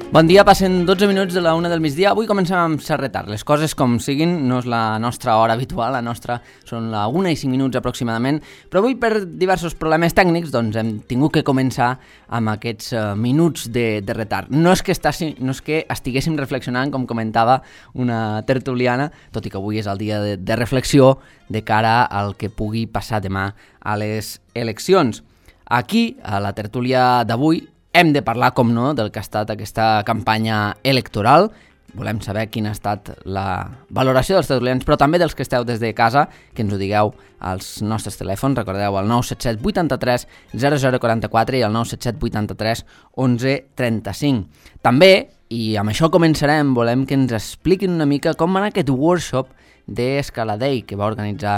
Bon dia, passen 12 minuts de la 1 del migdia. Avui comencem amb cert retard. Les coses com siguin, no és la nostra hora habitual, la nostra són la 1 i 5 minuts aproximadament, però avui per diversos problemes tècnics doncs hem tingut que començar amb aquests minuts de retard. No és que estiguéssim reflexionant, com comentava una tertuliana, tot i que avui és el dia de reflexió de cara al que pugui passar demà a les eleccions. Aquí, a la tertúlia d'avui, hem de parlar, com no, del que ha estat aquesta campanya electoral. Volem saber quina ha estat la valoració dels tertulians, però també dels que esteu des de casa, que ens ho digueu als nostres telèfons. Recordeu el 977 83 0044 i el 977 83 11 35. També, i amb això començarem, volem que ens expliquin una mica com va anar aquest workshop d'Escaladei que va organitzar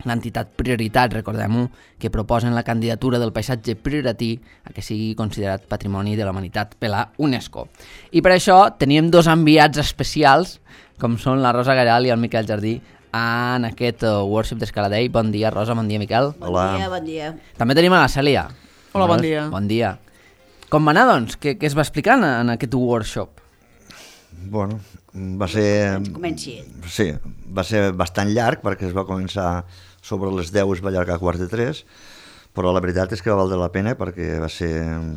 l'entitat Prioritat, recordem-ho, que proposen la candidatura del paisatge prioratí a que sigui considerat Patrimoni de la Humanitat per la UNESCO. I per això teníem dos enviats especials, com són la Rosa Garal i el Miquel Jardí, en aquest workshop d'Escaladei. Bon dia, Rosa, bon dia, Miquel. Hola. Bon dia. També tenim a la Cèlia. Hola, bon dia. Bon dia. Com va anar, doncs? Què es va explicar en aquest workshop? Bueno, va ser... Comenci. Sí, va ser bastant llarg perquè es va començar sobre les 10 i es va allargar a 2:45, però la veritat és que va valdre la pena perquè va ser...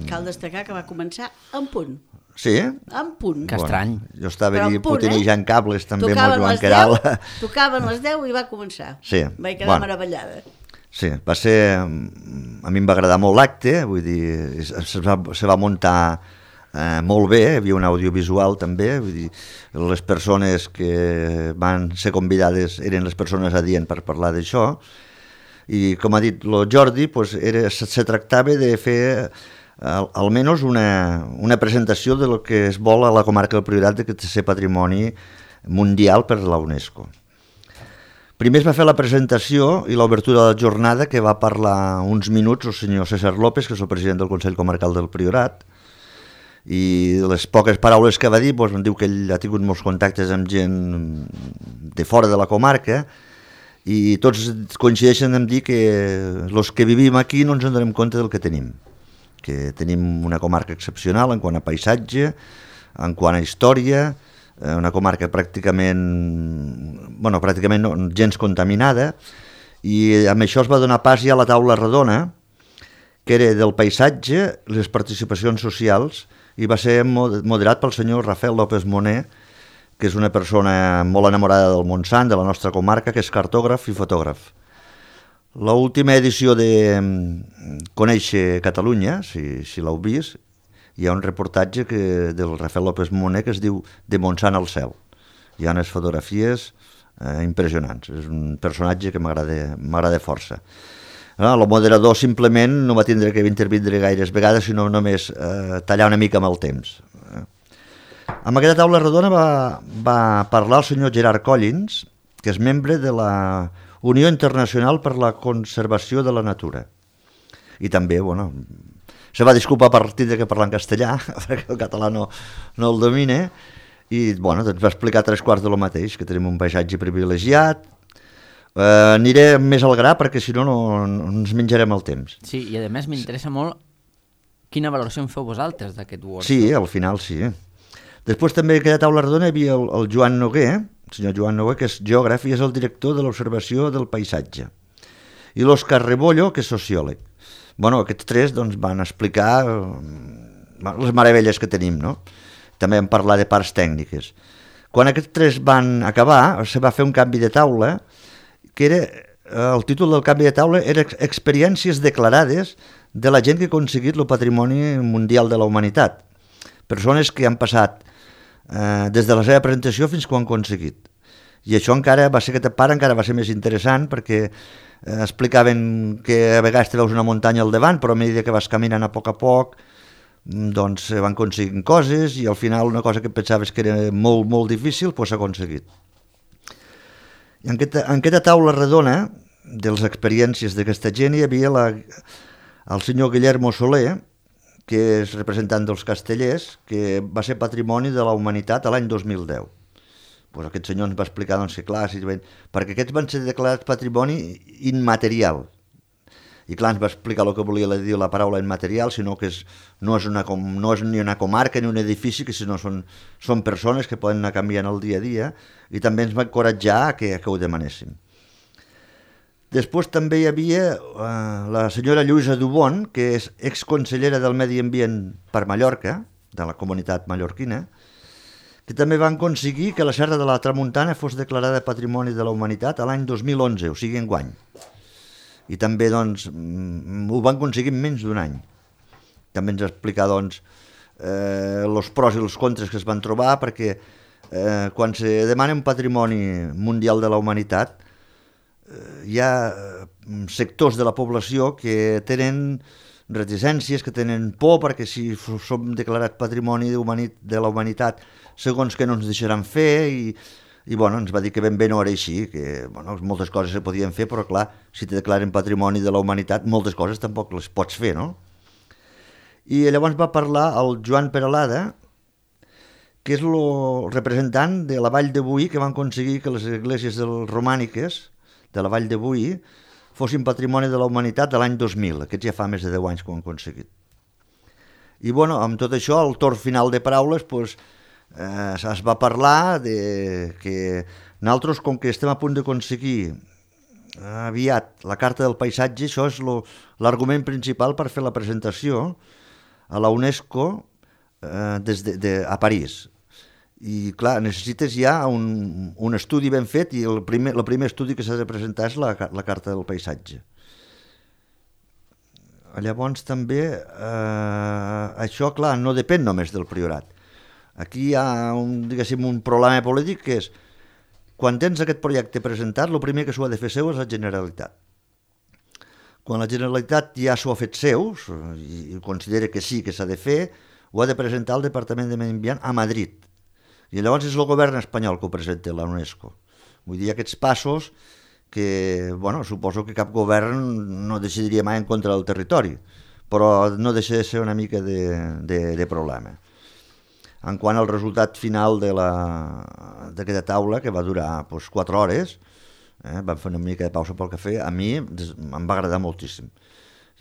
Cal destacar que va començar en punt. Sí? En punt. Que estrany. Jo estava Però allí en punt, putinejant cables també amb el Tocaven Joan les Queralt. 10, tocaven les 10 i va començar. Sí. Vaig quedar meravellada. Sí, va ser... A mi em va agradar molt l'acte, vull dir, se va muntar molt bé, hi havia un audiovisual també, vull dir, les persones que van ser convidades eren les persones adients per parlar d'això, i com ha dit el Jordi, pues se tractava de fer almenys una presentació de lo que es vol a la comarca del Priorat de que té ser patrimoni mundial per la UNESCO. Primer es va fer la presentació i l'obertura de la jornada, que va parlar uns minuts el senyor César López, que és el president del Consell Comarcal del Priorat, i les poques paraules que va dir doncs, em diu que ell ha tingut molts contactes amb gent de fora de la comarca i tots coincideixen en dir que els que vivim aquí no ens en donem compte del que tenim una comarca excepcional en quant a paisatge, en quant a història, una comarca pràcticament no, gens contaminada, i amb això es va donar pas ja a la taula redona, que era del paisatge, les participacions socials, i va ser moderat pel senyor Rafael López Moner, que és una persona molt enamorada del Montsant, de la nostra comarca, que és cartògraf i fotògraf. L'última edició de Conèixer Catalunya, si l'heu vist, hi ha un reportatge del Rafael López Moner que es diu De Montsant al cel. Hi ha unes fotografies impressionants. És un personatge que m'agrada força. El moderador simplement no va tindre que intervindre gaires vegades, sinó només tallar una mica amb el temps. Amb aquesta taula redona va parlar el senyor Gerard Collins, que és membre de la Unió Internacional per la Conservació de la Natura. I també, se va disculpar per tindre que parlar en castellà, perquè el català no el domina, i doncs va explicar 3/4 de lo mateix, que tenim un paisatge privilegiat. Aniré més al gra perquè si no ens menjarem el temps. Sí, i a més m'interessa molt quina valoració en feu vosaltres d'aquest workshop. Sí, al final sí. Després també en aquella taula redona hi havia el Joan Noguer, el senyor Joan Noguer, que és geògraf i és el director de l'observació del paisatge, i l'Òscar Rebollo, que és sociòleg. Aquests tres doncs, van explicar les meravelles que tenim, no? També vam parlar de parts tècniques. Quan aquests tres van acabar, se va fer un canvi de taula, que era, el títol del canvi de taula era Experiències declarades de la gent que ha aconseguit el patrimoni mundial de la humanitat. Persones que han passat des de la seva presentació fins que ho han aconseguit. I això aquesta part encara va ser més interessant perquè explicaven que a vegades te veus una muntanya al davant, però a mesura que vas caminant a poc, doncs van aconseguint coses i al final una cosa que pensaves que era molt, molt difícil, doncs s'ha aconseguit. I en aquesta taula redona de les experiències d'aquesta gent hi havia el senyor Guillermo Soler, que és representant dels Castellers, que va ser Patrimoni de la Humanitat l'any 2010. Aquest senyor ens va explicar que clar, perquè aquests van ser declarats patrimoni immaterial. i clar, ens va explicar el que volia dir la paraula immaterial, sinó que no és ni una comarca ni un edifici, sinó són persones que poden anar canviant el dia a dia, i també ens va encoratjar que ho demanéssim. Després també hi havia la senyora Lluïsa Dubon, que és exconsellera del Medi Ambient per Mallorca, de la comunitat mallorquina, que també van aconseguir que la Serra de la Tramuntana fos declarada Patrimoni de la Humanitat a l'any 2011, o sigui enguany. I també doncs, ho van aconseguir en menys d'un any. També ens explica doncs, els pros i els contres que es van trobar, perquè quan se demana un patrimoni mundial de la humanitat, hi ha sectors de la població que tenen reticències, que tenen por, perquè si som declarats patrimoni de la humanitat, segons que no ens deixaran fer, i bueno, ens va dir que ben bé no era així, que bueno, moltes coses se podien fer, però clar, si te declaren patrimoni de la humanitat, moltes coses tampoc les pots fer, no? I llavors va parlar el Joan Peralada, que és el representant de la Vall de Boí, que van aconseguir que les esglésies romàniques de la Vall de Boí fossin patrimoni de la humanitat de l'any 2000. Aquests ja fa més de 10 anys que ho han aconseguit. I bueno, amb tot això, al torn final de paraules, doncs, es va parlar de que nosaltres, com que estem a punt d'aconseguir aviat la Carta del Paisatge, això és l'argument principal per fer la presentació a la UNESCO a París. I clar, necessites ja un estudi ben fet, i el primer estudi que s'ha de presentar és la Carta del Paisatge. Llavors també això, clar, no depèn només del Priorat. Aquí hi ha un problema polític, que és quan tens aquest projecte presentat, el primer que s'ho ha de fer seu és la Generalitat. Quan la Generalitat ja s'ho ha fet seu i considera que sí, que s'ha de fer, ho ha de presentar al Departament de Medi Ambient a Madrid. I llavors és el govern espanyol que ho presenta a la UNESCO. Vull dir, aquests passos que, bueno, suposo que cap govern no decidiria mai en contra del territori, però no deixa de ser una mica de problema. En quant al resultat final d'aquesta taula, que va durar 4 hores, vam fer una mica de pausa pel cafè, a mi em va agradar moltíssim.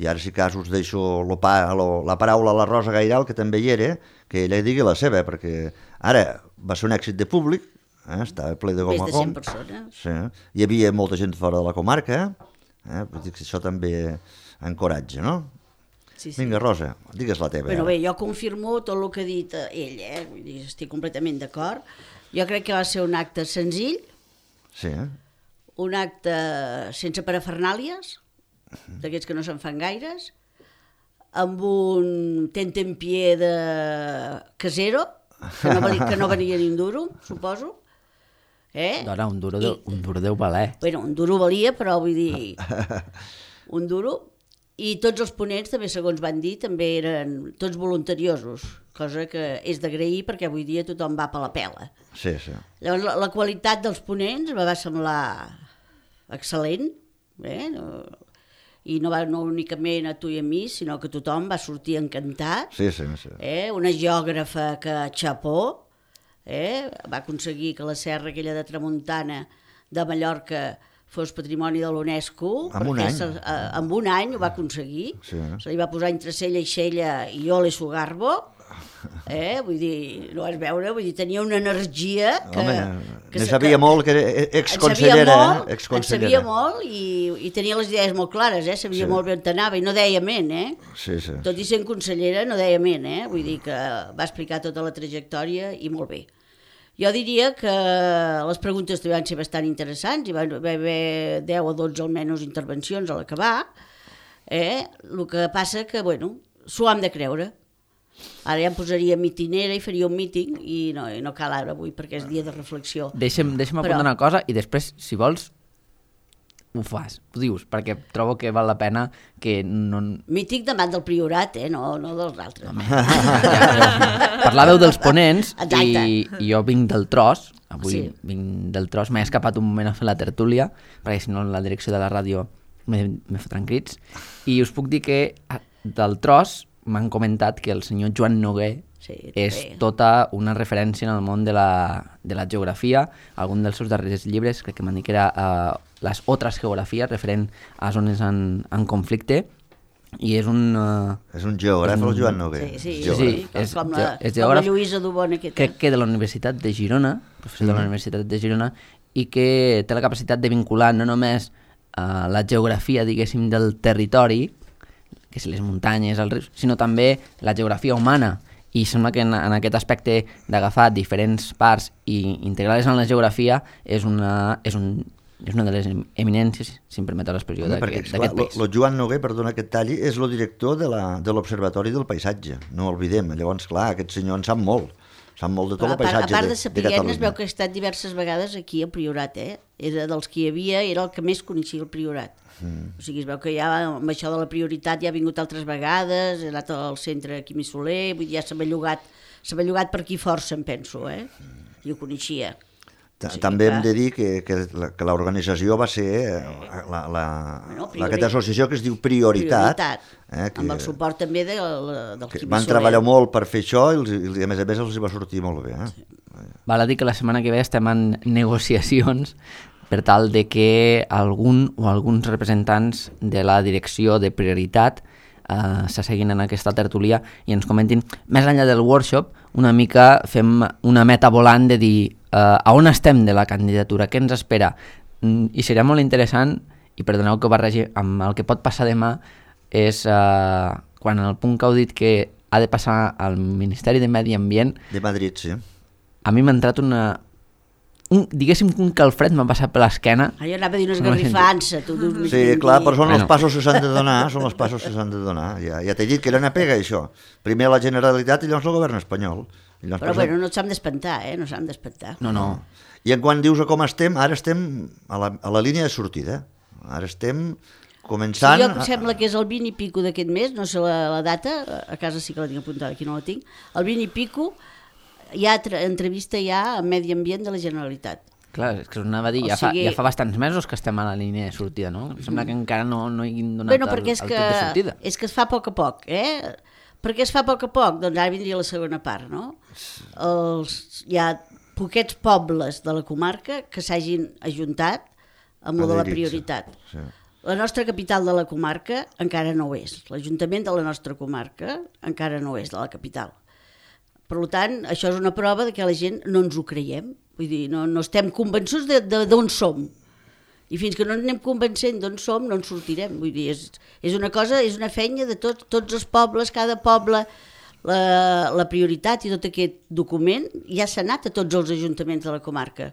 I ara, si cas, us deixo la paraula a la Rosa Gairal, que també hi era, que ella digui la seva, perquè ara va ser un èxit de públic, estava ple de gom a gom. Més de 100 persones. Sí. Hi havia molta gent fora de la comarca, vull dir que això també encoratja, no? Sí. Vinga, Rosa, digues la teva. Bueno, bé, jo confirmo tot el que ha dit ell, vull dir, estic completament d'acord. Jo crec que va ser un acte senzill, Sí, un acte sense parafernàlies, d'aquests que no se'n fan gaires, amb un tentempié de casero, que no venia ni un duro, suposo. Dona, un duro deu valer. Bueno, un duro valia, però vull dir, un duro. I tots els ponents, també segons van dir, també eren tots voluntariosos, cosa que és d'agrair perquè avui dia tothom va per la pela. sí, sí. Llavors, la qualitat dels ponents va semblar excel·lent, i no únicament a tu i a mi, sinó que tothom va sortir encantat. Sí. Una geògrafa que xapó, va aconseguir que la serra aquella de Tramuntana de Mallorca fos patrimoni de l'UNESCO. En un any. En un any ho va aconseguir. Sí. Se li va posar entre cella i cella i ole su garbo. Vull dir, no vas veure, vull dir, tenia una energia que... Home, ne sabia molt, que era exconsellera. En sabia molt i tenia les idees molt clares, sabia molt bé on anava i no deia ment, Sí. Tot i sent consellera no deia ment, vull dir que va explicar tota la trajectòria i molt bé. Jo diria que les preguntes van ser bastant interessants, hi va haver 10 o 12 almenys intervencions a l'acabar, el que passa que, bueno, s'ho hem de creure. Ara ja em posaria mitinera i faria un míting i no cal ara avui perquè és dia de reflexió. Deixa'm apuntar una cosa i després, si vols, ho fas, ho dius, perquè trobo que val la pena que no... Mític davant del Priorat, no dels altres. Parlàveu dels ponents Exacte. i jo vinc del tros, avui Sí. vinc del tros, m'he escapat un moment a fer la tertúlia, perquè si no la direcció de la ràdio me fotran crits, i us puc dir que del tros m'han comentat que el senyor Joan Noguer és tota una referència en el món de la geografia. Algun dels seus darrers llibres, crec que m'han dit que era les altres geografies referent a zones en conflicte, i és un... És un geògraf, el Joan Noguer. Sí, és com la geògraf, Lluïsa Dubon aquesta. crec que de la Universitat de Girona, professor de la Universitat de Girona, i que té la capacitat de vincular no només la geografia, diguéssim, del territori, que si les muntanyes, els rius, sinó també la geografia humana. I sembla que en aquest aspecte d'agafar diferents parts i integrar-les en la geografia és una de les eminències, si em permeteu l'expressió, d'aquest país. El Joan Noguer, perdona que et talli, és el director de l'Observatori del Paisatge, no ho oblidem. Llavors, clar, aquest senyor en sap molt de tot el paisatge de Catalunya. A part de saber, es veu que ha estat diverses vegades aquí al Priorat, Era dels que hi havia, era el que més coneixia el Priorat. O sigui, es veu que ja amb això de la prioritat ja ha vingut altres vegades, ha anat al centre Quimi Soler, vull dir, ja s'ha bellugat per aquí força, em penso, i ho coneixia. També hem de dir que l'organització va ser aquesta associació que es diu Prioritat. Amb el suport també del Quimi Soler. Van treballar molt per fer això i a més els va sortir molt bé. Val a dir que la setmana que ve estem en negociacions per tal de que algun o alguns representants de la direcció de Prioritat s'asseguin en aquesta tertúlia i ens comentin, més enllà del workshop, una mica fem una meta volant de dir a on estem de la candidatura, què ens espera. I seria molt interessant, i perdoneu que ho barregi amb el que pot passar demà, és quan el punt que heu dit que ha de passar al Ministeri de Medi Ambient... De Madrid, sí. A mi m'ha entrat diguéssim que un calfred m'ha passat per l'esquena. Jo anava a dir una esgarrifança. Sí, clar, però són els passos que s'han de donar, Ja t'he dit que era una pega, això. Primer la Generalitat i llavors el govern espanyol. Però bueno, no s'han d'espantar, no s'han d'espantar. No. I en quan dius com estem, ara estem a la línia de sortida. Ara estem començant... Sí, jo em sembla que és el 20 i pico d'aquest mes, no sé la data, a casa sí que la tinc apuntada, aquí no la tinc, el 20 i pico hi ha entrevista ja a Medi Ambient de la Generalitat. Clar, és que us anava a dir, ja fa bastants mesos que estem a la línia de sortida, no? Sembla que encara no hi hagin donat el tret de sortida. És que es fa a poc a poc, Per què es fa a poc a poc? Doncs ara vindria la segona part, no? Hi ha poquets pobles de la comarca que s'hagin ajuntat amb lo de la prioritat. Sí. La nostra capital de la comarca encara no ho és. L'Ajuntament de la nostra comarca encara no és de la capital. Per tant, això és una prova de que la gent no ens ho creiem. Vull dir, no estem convençuts d'on som. I fins que no ens anem convencent d'on som, no ens sortirem. Vull dir, és una feina de tots els pobles, cada poble, la prioritat i tot aquest document ja s'ha anat a tots els ajuntaments de la comarca.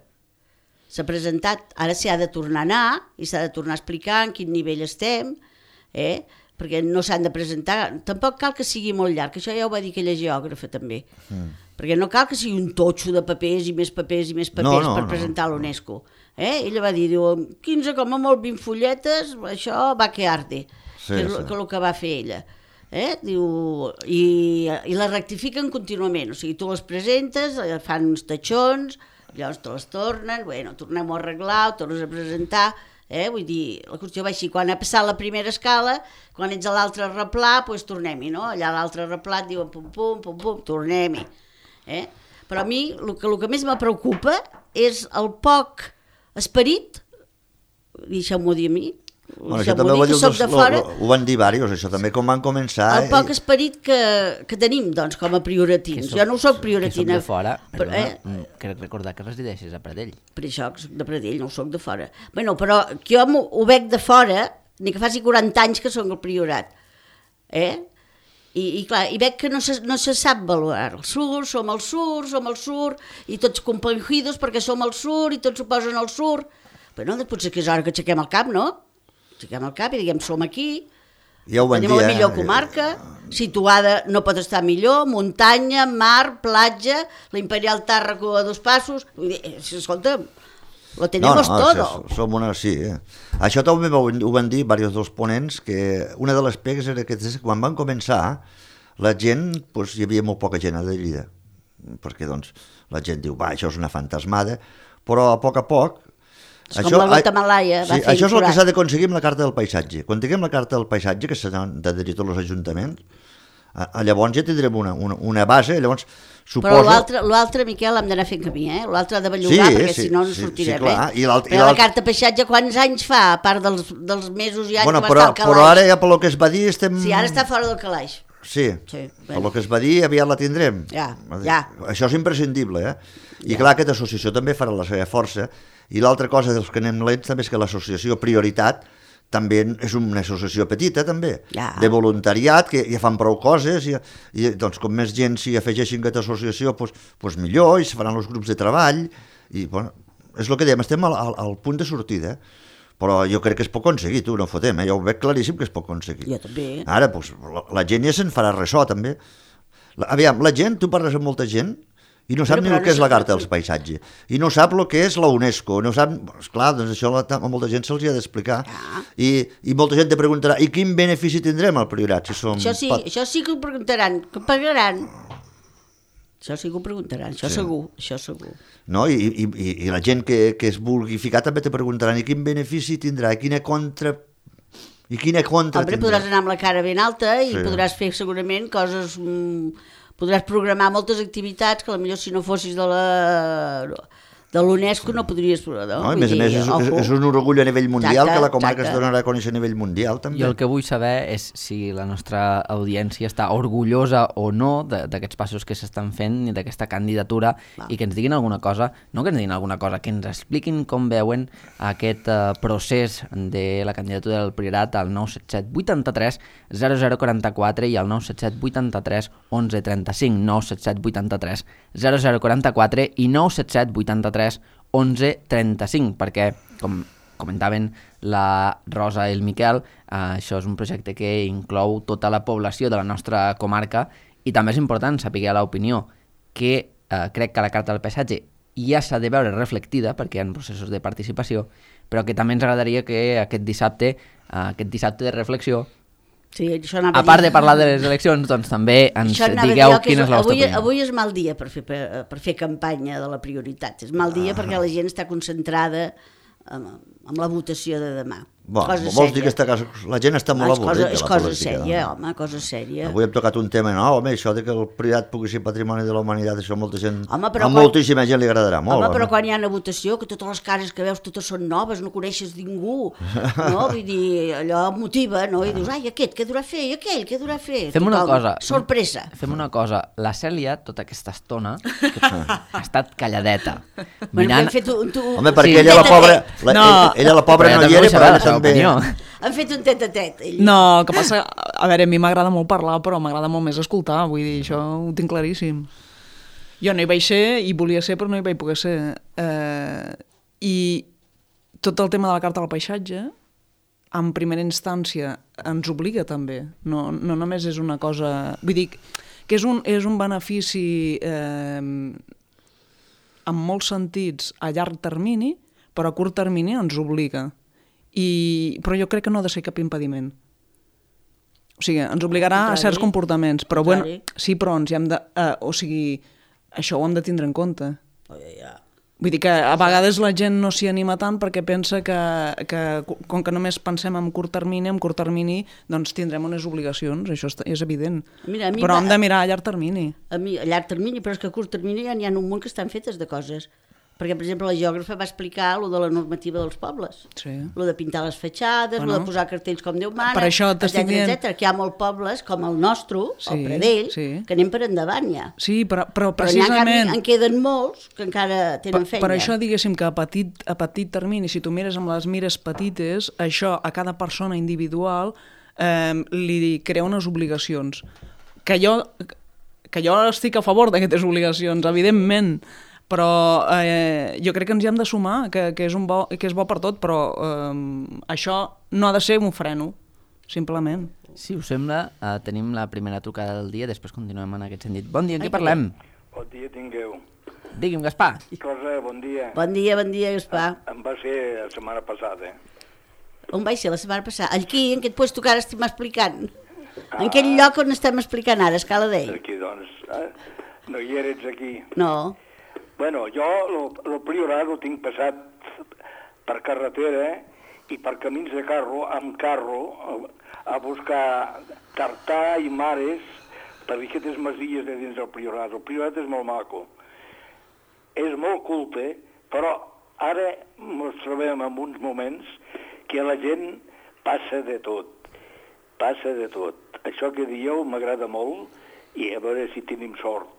S'ha presentat, ara s'hi ha de tornar a anar i s'ha de tornar a explicar en quin nivell estem, perquè no s'han de presentar, tampoc cal que sigui molt llarg, això ja ho va dir aquella geògrafa també, perquè no cal que sigui un totxo de papers i més papers per presentar a l'UNESCO. Ella va dir, 15 com a molt 20 fulletes, això va que arde, que és el que va fer ella. Diu, i la rectifiquen contínuament, o sigui, tu les presentes, fan uns tatxons, llavors te les tornen, tornem a arreglar, ho tornes a presentar, vull dir, la qüestió va així, quan ha passat la primera escala, quan ets a l'altre replà, doncs tornem-hi, no? Allà a l'altre replà et diuen pum, pum, pum, pum, tornem-hi. Però a mi el que més me preocupa és el poc esperit, deixeu-m'ho dir a mi, això també ho van dir diversos, això també, com van començar... El poc esperit que tenim, doncs, com a prioratins. Jo no ho soc prioratina. Que soc de fora, crec recordar que resideixes a Pradell. Per això que soc de Pradell, no ho soc de fora. Però jo ho veig de fora, ni que faci 40 anys que soc el priorat. I clar, i veig que no se sap valorar. El sur, som al sur, i tots companyidos perquè som al sur, i tots s'ho posen al sur. Però no, potser que és hora que aixequem el cap, no? Aixequem el cap i diguem, som aquí, tenim la millor comarca, situada no pot estar millor, muntanya, mar, platja, l'Imperial Tàrraco a 2 passos, vull dir, escolta, lo tenemos todo. Som una, sí. Això també ho van dir diversos dels ponents, que una de les pegues era que quan van començar, la gent, hi havia molt poca gent a Lleida, perquè doncs la gent diu, això és una fantasmada, però a poc, com la Guatemalaia va fer això és el que s'ha d'aconseguir amb la carta del paisatge. Quan tinguem la carta del paisatge, que s'ha d'adherir tots els ajuntaments, Llavors ja tindrem una base, llavors però suposo... l'altre, Miquel, hem d'anar fent camí, L'altre ha de bellugar, perquè si no sortirem, Però la carta peixatge, quants anys fa, a part dels mesos i anys que va estar al calaix? Però ara ja pel que es va dir estem... Sí, ara està fora del calaix. Sí, pel que es va dir aviat la tindrem. Ja. Això és imprescindible, I clar, aquesta associació també farà la seva força, i l'altra cosa dels que anem lents també és que l'associació Prioritat també és una associació petita, també, de voluntariat, que ja fan prou coses, i doncs com més gent s'hi afegeixin a aquesta associació, doncs millor, i se faran els grups de treball, i bueno, és el que dèiem, estem al punt de sortida, però jo crec que es pot aconseguir, tu, no fotem, jo ho veig claríssim que es pot aconseguir. Jo també. Ara, doncs, la gent ja se'n farà ressò, també. Aviam, la gent, tu parles amb molta gent, i no sap ni el que és la Carta dels Paisatges, i no sap el que és la UNESCO, no sap... Esclar, doncs això a molta gent se'ls ha d'explicar, i molta gent te preguntarà, i quin benefici tindrem al Priorat? Això sí que ho preguntaran, que pagaran. Això sí que ho preguntaran, això segur. No? I la gent que es vulgui ficar també te preguntaran, i quin benefici tindrà, i quina contra Hombre, podràs anar amb la cara ben alta i podràs fer segurament coses... Podràs programar moltes activitats que potser si no fossis de l'UNESCO no podries... No, a més, és un orgull a nivell mundial, que la comarca es donarà a conèixer a nivell mundial, també. Jo el que vull saber és si la nostra audiència està orgullosa o no d'aquests passos que s'estan fent i d'aquesta candidatura, i que ens diguin alguna cosa, no que ens diguin alguna cosa, que ens expliquin com veuen aquest procés de la candidatura del Priorat al 977 83 0044 i al 977 83 11 35, 977 83 0044 i 977 83 11 35, perquè, com comentaven la Rosa i el Miquel, això és un projecte que inclou tota la població de la nostra comarca, i també és important saber l'opinió, que crec que la Carta del Paisatge ja s'ha de veure reflectida, perquè hi ha processos de participació, però que també ens agradaria que aquest dissabte de reflexió, a part de parlar de les eleccions, doncs també ens digueu quina és la vostra opinió. Avui és mal dia per fer campanya de la Prioritat. És mal dia perquè la gent està concentrada amb la votació de demà. Vols dir que la gent està molt avorrida? És cosa sèria, home, cosa sèria. Avui hem tocat un tema nou, home, això de que el Priorat pugui ser patrimoni de la humanitat, això a molta gent, a moltíssima gent li agradarà molt. Home, però quan hi ha una votació, que totes les cares que veus totes són noves, no coneixes ningú, no? Vull dir, allò motiva, no? I dius, ai, aquest, què durà a fer? I aquell, què durà a fer? Fem una cosa. Sorpresa. Fem una cosa. La Cèlia, tota aquesta estona, ha estat calladeta. Mirant... Home, perquè ella la pobra no hi era, però també... Han fet un tet-a-tet. No, que passa... A veure, a mi m'agrada molt parlar, però m'agrada molt més escoltar, vull dir, això ho tinc claríssim. Jo no hi vaig ser, i volia ser, però no hi vaig poder ser. I tot el tema de la Carta del Paisatge, en primera instància, ens obliga també. No només és una cosa... Vull dir, que és un benefici en molts sentits a llarg termini, però a curt termini ens obliga. Però jo crec que no ha de ser cap impediment. O sigui, ens obligarà a certs comportaments, però bueno, sí, però ens hi hem de... O sigui, això ho hem de tindre en compte. Vull dir que a vegades la gent no s'hi anima tant perquè pensa que com que només pensem en curt termini, doncs tindrem unes obligacions, això és evident. Però hem de mirar a llarg termini. A llarg termini, però és que a curt termini ja n'hi ha un munt que estan fetes de coses. Perquè, per exemple, la geògrafa va explicar el de la normativa dels pobles. El de pintar les fatxades, el de posar cartells com Déu mana, etcètera. Que hi ha molts pobles, com el nostre, el Pradell, que anem per endavant ja. Sí, però precisament... Però en queden molts que encara tenen feina. Per això, diguéssim, que a petit termini, si tu mires amb les mires petites, això a cada persona individual li crea unes obligacions. Que jo estic a favor d'aquestes obligacions, evidentment, però jo crec que ens hi hem de sumar, que és bo per tot, però això no ha de ser un freno, simplement. Si us sembla, tenim la primera trucada del dia, després continuem en aquest sentit. Bon dia, en què parlem? Bon dia tingueu. Digui'm, Gaspar. Bon dia. Bon dia, Gaspar. Em va ser la setmana passada. On vaig ser la setmana passada? Aquí, en aquest lloc que ara estem explicant. En aquell lloc on estem explicant ara, Escala d'Ell. Aquí, doncs. No hi eres aquí. No. Bueno, jo el Priorat ho tinc passat per carretera i per camins de carro, amb carro, a buscar tartà i mares per aquestes masies de dins del Priorat. El Priorat és molt maco, és molt culte, però ara ens trobem en uns moments que la gent passa de tot. Això que dieu m'agrada molt i a veure si tenim sort.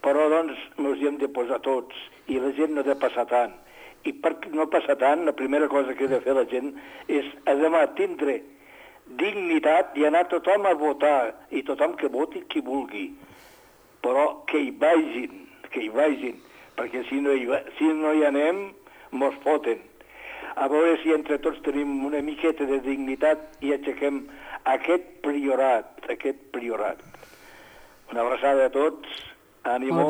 Però doncs ens hi hem de posar tots i la gent no ha de passar tant. I per no passar tant, la primera cosa que ha de fer la gent és a demà tindre dignitat i anar tothom a votar i tothom que voti qui vulgui. Però que hi vagin, perquè si no hi anem, mos foten. A veure si entre tots tenim una miqueta de dignitat i aixequem aquest priorat. Una abraçada a tots, ànimo,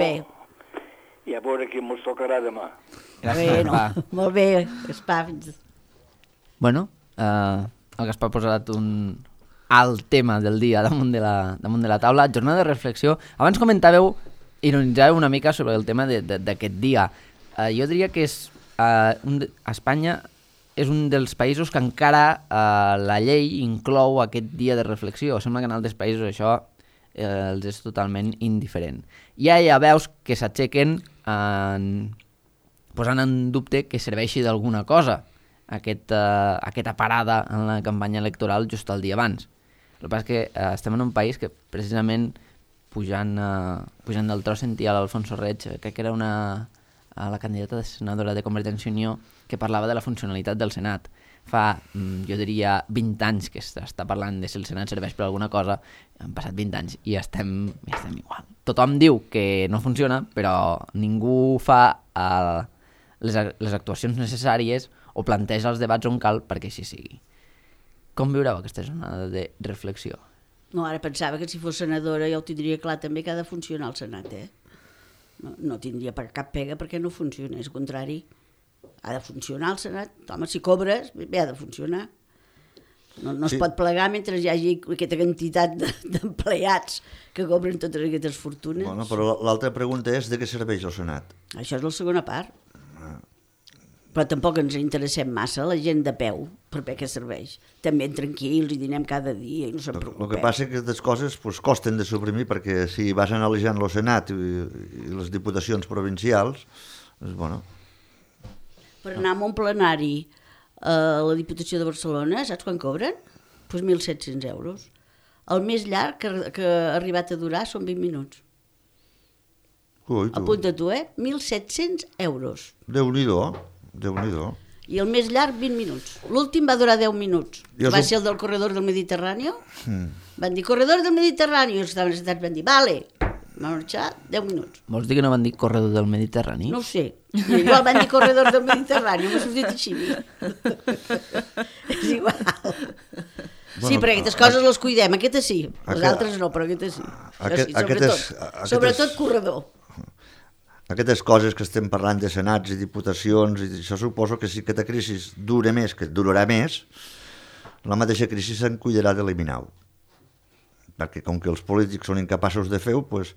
i a veure qui mos tocarà demà. Gràcies, Gaspar. Molt bé, Gaspar. Bueno, el Gaspar ha posat un alt tema del dia damunt de la taula, jornada de reflexió. Abans comentàveu, ironitzàveu una mica sobre el tema d'aquest dia. Jo diria que Espanya és un dels països que encara la llei inclou aquest dia de reflexió. Sembla que en altres països això els és totalment indiferent. Ja veus que s'aixequen posant en dubte que serveixi d'alguna cosa aquesta parada en la campanya electoral just el dia abans. El que passa és que estem en un país que precisament pujant del tros sentia l'Alfonso Reig, crec que era la candidata de senadora de Convergència i Unió, que parlava de la funcionalitat del Senat. Fa, jo diria, 20 anys que s'està parlant de si el Senat serveix per alguna cosa, han passat 20 anys i estem igual. Tothom diu que no funciona, però ningú fa les actuacions necessàries o planteja els debats on cal perquè així sigui. Com viureu aquesta jornada de reflexió? No, ara pensava que si fos senadora ja ho tindria clar també que ha de funcionar el Senat, No tindria per cap pega perquè no funciona, és el contrari. Ha de funcionar el Senat. Home, si cobres, bé, ha de funcionar. No es pot plegar mentre hi hagi aquesta quantitat d'empleats que cobren totes aquestes fortunes. Bueno, però l'altra pregunta és de què serveix el Senat? Això és la segona part. Però tampoc ens interessem massa, la gent de peu, per què serveix. També tranquils i dinem cada dia i no se'n preocupem. El que passa és que aquestes coses costen de suprimir perquè si vas analitzant el Senat i les diputacions provincials, bueno... Per anar a un plenari a la Diputació de Barcelona, saps quan cobren? Doncs 1.700 euros. El més llarg que ha arribat a durar són 20 minuts. Ui, apunta tu, 1.700 euros. Déu-n'hi-do. I el més llarg, 20 minuts. L'últim va durar 10 minuts. Va ser el del corredor del Mediterrani. Van dir, corredor del Mediterrani. I els que estaven sentats van dir, vale. Van marxar 10 minuts. Vols dir que no van dir corredor del Mediterrani? No ho sé. Igual van dir corredor del Mediterrani. M'ha sortit així. És igual. Sí, però aquestes coses les cuidem. Aquestes sí. Les altres no, però aquestes sí. Sobretot corredor. Aquestes coses que estem parlant de senats i diputacions, i això suposo que si aquesta crisi dura més, que durarà més, la mateixa crisi se'n cuidarà d'eliminar-ho. Perquè com que els polítics són incapaços de fer-ho, doncs,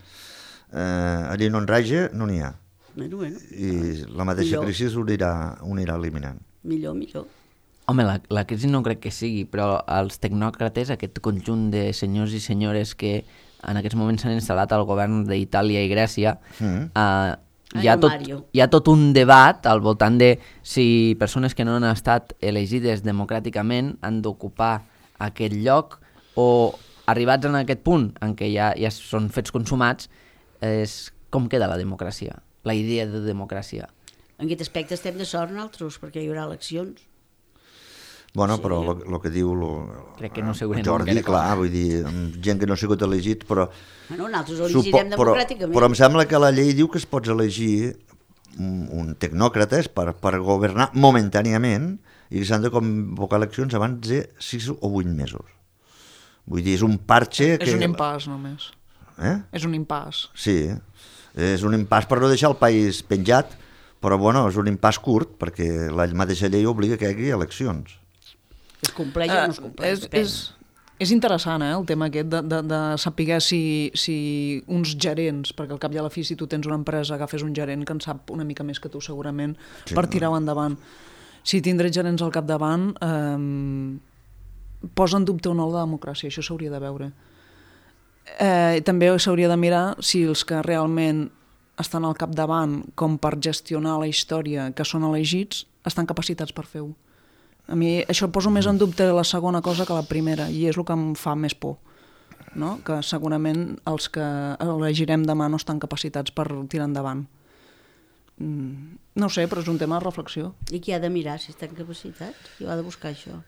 allí no en raja, no n'hi ha. Bueno. I la mateixa crisi ho anirà eliminant. Millor. Home, la crisi no crec que sigui, però els tecnòcrates, aquest conjunt de senyors i senyores que en aquests moments s'han instal·lat al govern d'Itàlia i Grècia, hi ha tot un debat al voltant de si persones que no han estat elegides democràticament han d'ocupar aquest lloc, o arribats en aquest punt en què ja són fets consumats, és com queda la democràcia, la idea de democràcia. En aquest aspecte estem de sort nosaltres, perquè hi haurà eleccions. Bueno, sí, però el que diu crec que no Jordi, clar, vull dir, gent que no ha sigut elegit, però... Bueno, nosaltres ho elegirem democràticament. Però em sembla que la llei diu que es pots elegir un tecnòcrates per governar momentàniament i que s'han de convocar eleccions abans de 6 o 8 mesos. Vull dir, és un parche que... És un impàs, només. És un impàs. Sí, és un impàs per no deixar el país penjat, però bueno, és un impàs curt, perquè la mateixa llei obliga que hi hagi eleccions. Es compleix o no es compleix? És interessant, el tema aquest de saber si uns gerents, perquè al cap i a la fi si tu tens una empresa agafes un gerent que en sap una mica més que tu segurament per tirar-ho endavant. Si tindràs gerents al capdavant posa en dubte o no la democràcia, això s'hauria de veure. també s'hauria de mirar si els que realment estan al capdavant com per gestionar la història que són elegits estan capacitats per fer-ho. A mi això poso més en dubte la segona cosa que la primera, i és el que em fa més por, no? Que segurament els que elegirem demà no estan capacitats per tirar endavant. No ho sé, però és un tema de reflexió. I qui ha de mirar si estan capacitats? Qui ha de buscar això?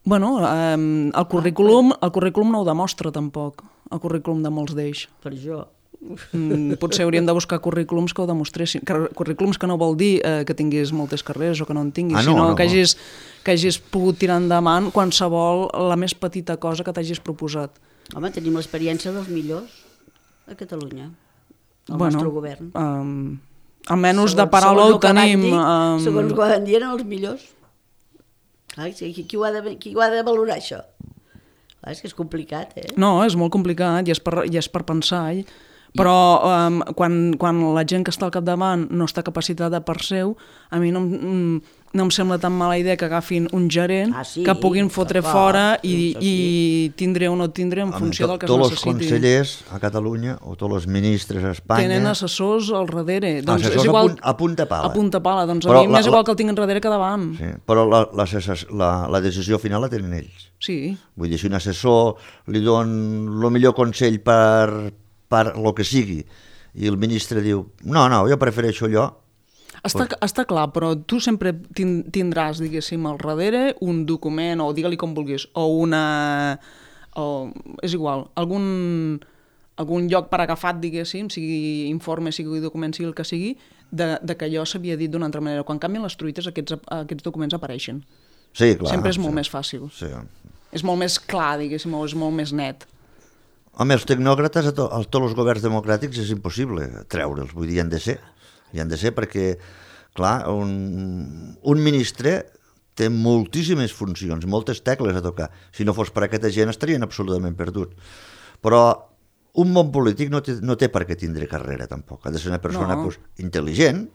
Bueno, el currículum no ho demostra tampoc, el currículum de molts d'ells. Per jo. Potser hauríem de buscar currículums que ho demostressin. Currículums que no vol dir que tinguis moltes carreres o que no en tinguis, sinó que hagis pogut tirar endavant qualsevol, la més petita cosa que t'hagis proposat. Home, tenim l'experiència dels millors a Catalunya, el nostre govern. Almenys de paraula ho tenim. Segons ho van dir, eren els millors. Qui ho ha de valorar, això? És que és complicat, No, és molt complicat i és per pensar, però quan la gent que està al capdavant no està capacitada per seu, a mi no em sembla tan mala idea que agafin un gerent que puguin fotre fora i tindré o no tindré en funció del que es necessiti. Tots els consellers a Catalunya o tots els ministres a Espanya tenen assessors al darrere. Assessors a punta pala. A punta pala, doncs a mi m'és igual que el tinc enrere que davant. Sí, però la decisió final la tenen ells. Sí. Vull dir, si un assessor li don el millor consell per lo que sigui i el ministre diu, no, jo prefereixo allò. Està clar, però tu sempre tindràs, diguéssim, al darrere un document, o digue-li com vulguis, és igual, algun lloc per agafat, diguéssim, sigui informe, sigui document, sigui el que sigui, de que allò s'havia dit d'una altra manera. Quan canvien les truites, aquests documents apareixen. Sí, clar. Sempre és molt més fàcil. Sí. És molt més clar, diguéssim, o és molt més net. Home, els tecnòcrates a tots els governs democràtics és impossible treure'ls, vull dir, hi han de ser perquè, clar, un ministre té moltíssimes funcions, moltes tecles a tocar. Si no fos per aquesta gent estarien absolutament perduts. Però un bon polític no té per què tindre carrera, tampoc. Ha de ser una persona intel·ligent,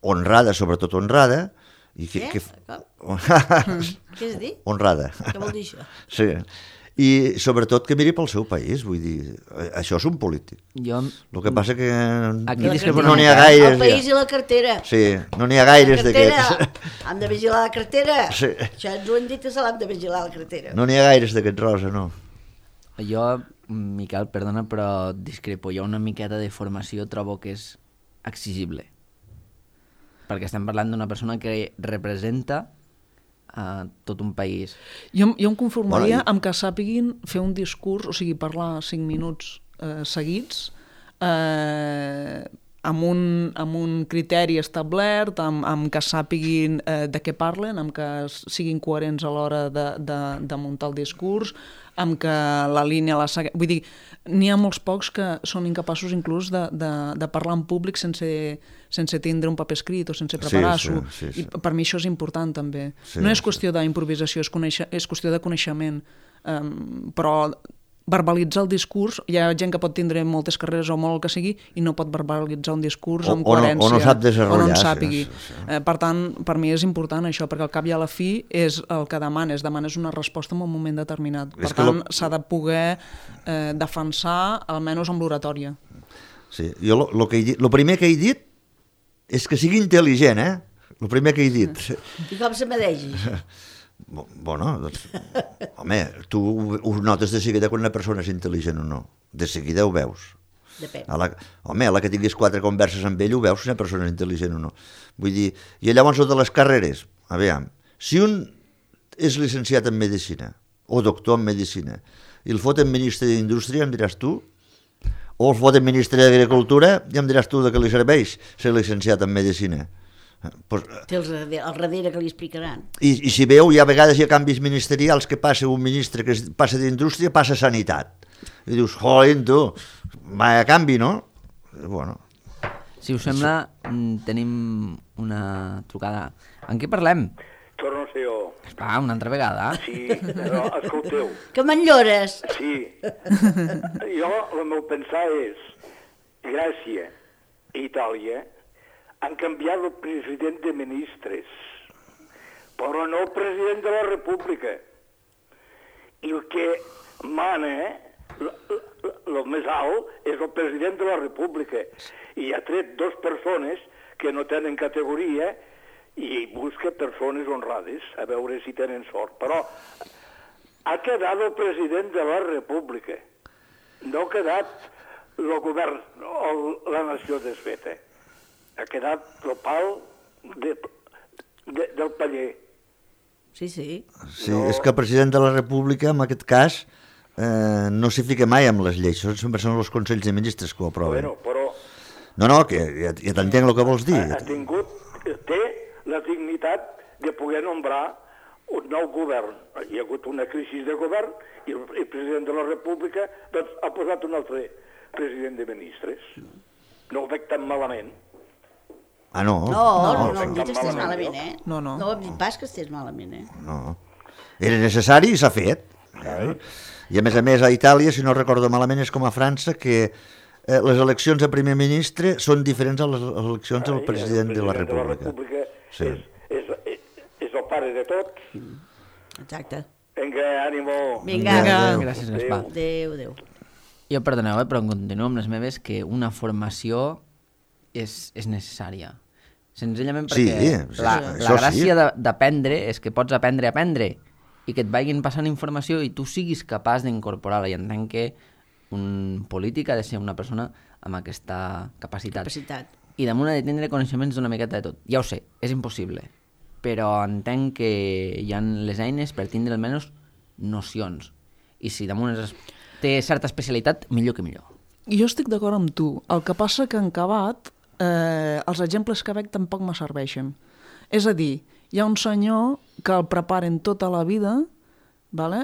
honrada, sobretot honrada. Què has dit? Honrada. Què vol dir això? Sí. I sobretot que miri pel seu país, vull dir, això és un polític. El que passa que no n'hi ha gaires. El país i la cartera. Sí, no n'hi ha gaires d'aquests. Hem de vigilar la cartera. Sí. Això ens ho han dit que se l'hem de vigilar la cartera. No n'hi ha gaires d'aquests, Rosa, no. Jo, Miquel, perdona, però discrepo. Jo una miqueta de formació trobo que és exigible. Perquè estem parlant d'una persona que representa a tot un país. Jo em conformaria amb que sàpiguin fer un discurs, o sigui, parlar 5 minuts seguits, amb un criteri establert, amb que sàpiguin de què parlen, amb que siguin coherents a l'hora de muntar el discurs, amb que la línia la segueix. Vull dir, n'hi ha molts pocs que són incapaços inclús de parlar en públic sense tindre un paper escrit o sense preparar-s'ho. I per mi això és important també. No és qüestió d'improvisació, és qüestió de coneixement. Però verbalitzar el discurs, hi ha gent que pot tindre moltes carreres o molt el que sigui i no pot verbalitzar un discurs amb coherència. O no sap desenrotllar. O no en sàpigui. Per tant, per mi és important això, perquè al cap i a la fi és el que demanes una resposta en un moment determinat. Per tant, s'ha de poder defensar, almenys amb l'oratòria. Sí, jo el primer que he dit és que sigui intel·ligent, el primer que he dit. I com se medeix? Bueno, doncs, home, tu ho notes de seguida quan una persona és intel·ligent o no. De seguida ho veus. Depèn. Home, a la que tinguis 4 converses amb ell ho veus si una persona és intel·ligent o no. Vull dir, i llavors de les carreres, a veure, si un és llicenciat en Medicina o doctor en Medicina i el foten ministre d'Indústria, em diràs tu, o el foten ministre d'Agricultura i em diràs tu de què li serveix ser llicenciat en Medicina. Té al darrere que li explicaran. I si veu, hi ha vegades hi ha canvis ministerials que passa un ministre que passa d'Indústria, passa a Sanitat. I dius, jolín, tu, vaya canvi, no? Bueno. Si us sembla, tenim una trucada. En què parlem? Torno a ser jo. Esclar, una altra vegada. Sí, però escolteu. Que m'enllores. Sí. Jo, el meu pensar és, Grècia i Itàlia han canviat el president de ministres, però no el president de la República. I el que mana el més alt és el president de la República i ha tret 2 persones que no tenen categoria i busca persones honrades a veure si tenen sort. Però ha quedat el president de la República, no ha quedat el govern o la nació desfeta. Ha quedat el pal del paller. Sí, sí. Sí, no... és que el president de la República, en aquest cas, no s'hi fica mai amb les lleis, sempre són els Consells de Ministres que ho aproven. Bueno, però... No, que ja t'entenc el que vols dir. Té la dignitat de poder nombrar un nou govern. Hi ha hagut una crisi de govern i el president de la República doncs, ha posat un altre president de ministres. No ho veig tan malament. Ah, no? No hem dit que estés malament, eh? No. No hem dit pas que estés malament, eh? No. Era necessari i s'ha fet. I a més, a Itàlia, si no recordo malament, és com a França, que les eleccions a primer ministre són diferents a les eleccions al president de la República. Sí. És el pare de tot. Exacte. Vinga, ànimo. Vinga. Gràcies, Gaspar. Adéu. Jo, perdoneu, però continuo amb les meves, que una formació és necessària. Senzillament perquè la gràcia d'aprendre és que pots aprendre a aprendre i que et vagin passant informació i tu siguis capaç d'incorporar-la. I entenc que un polític ha de ser una persona amb aquesta capacitat. I damunt ha de tindre coneixements d'una miqueta de tot. Ja ho sé, és impossible, però entenc que hi ha les eines per tindre almenys nocions. I si damunt té certa especialitat, millor que millor. Jo estic d'acord amb tu. El que passa que en acabat els exemples que veig tampoc me serveixen. És a dir, hi ha un senyor que el preparen tota la vida, vale?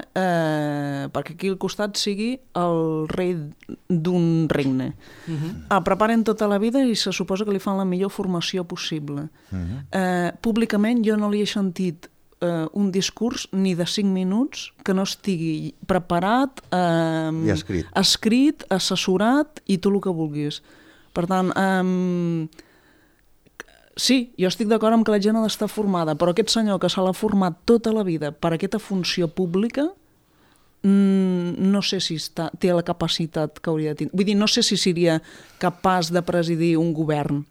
Perquè aquí al costat sigui el rei d'un regne. El preparen tota la vida i se suposa que li fan la millor formació possible. Públicament jo no li he sentit un discurs ni de 5 minuts que no estigui preparat, escrit, assessorat i tot el que vulguis. Per tant, sí, jo estic d'acord amb que la gent ha d'estar formada, però aquest senyor que se l'ha format tota la vida per aquesta funció pública, no sé si té la capacitat que hauria de tenir. Vull dir, no sé si seria capaç de presidir un govern.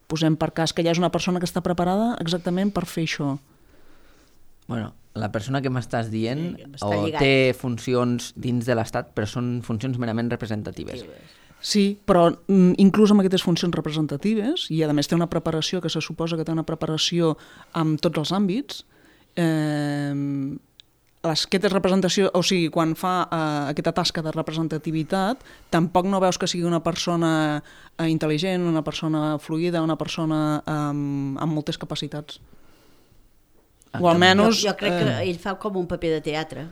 Posem per cas que hi ha una persona que està preparada exactament per fer això. Bueno, la persona que m'estàs dient té funcions dins de l'Estat, però són funcions merament representatives. Sí, però inclús amb aquestes funcions representatives, i a més té una preparació que se suposa que té una preparació en tots els àmbits, aquesta representació, o sigui, quan fa aquesta tasca de representativitat, tampoc no veus que sigui una persona intel·ligent, una persona fluida, una persona amb moltes capacitats. O almenys... Jo crec que ell fa com un paper de teatre.